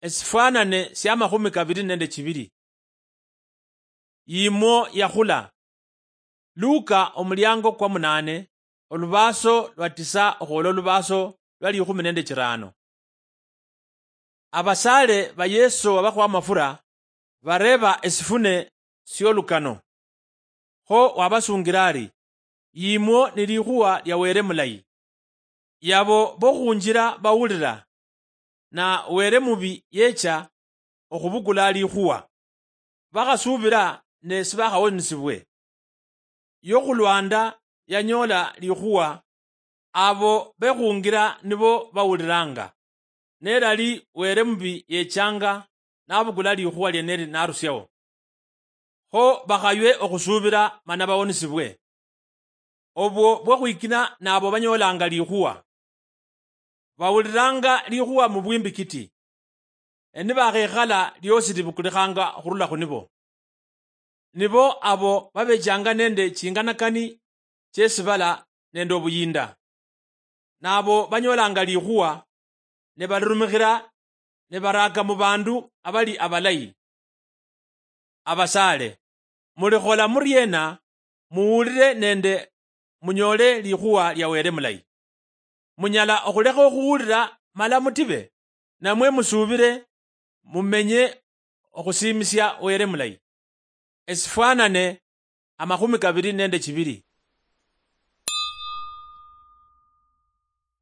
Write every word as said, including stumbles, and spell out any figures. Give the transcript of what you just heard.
Esifwanane siamakhumi kabiri nende chibiri. Yimwo yakhula. Luka omuliango kwa munane, olubaaso lwa tisa okhwola olubaaso lwa likhumi nende chirano. Abasaale ba Yeso wabakhuwa amafura bareeba esifune siolukano. Kho wabasungira ari, "Yimwo ni likhuwa lia Wele mulayi. Yabo bokhunjila bawulila, na Wele mubi yecha okhubukula likhuwa. Bakhasubila ne sibakhawonisibwe. Yokhulwanda yanyoola likhuwa, abo bekhungira nibo bawulilanga. Nelali Wele mubi yechanga nabukula likhuwa lieneli narusiao. Kho bakhaywe okhusubila mana bawonisibwe." Obwo bwokhwikina nabo banyoolanga likhuwa. Bawulilanga likhuwa mu bwimbikiti, ne nibakhekhala liosi libukulikhanga okhurula khunibo. Nibo abo babechanga nende chinganakani chiesibala nende obuyinda. Nabo banyoolanga likhuwa, ne balirumikhira, ne baraaka mu bandu abali abalayi. Abasaale, mulikhola muriena muwulire nende munyoole likhuwa lia Wele mulayi? Munyala okhulekha okhuwulira mala mutibe, namwe musubire mumenye okhusiimisia Wele mulayi? Esifwanane amakhumi kabiri nende chibiri.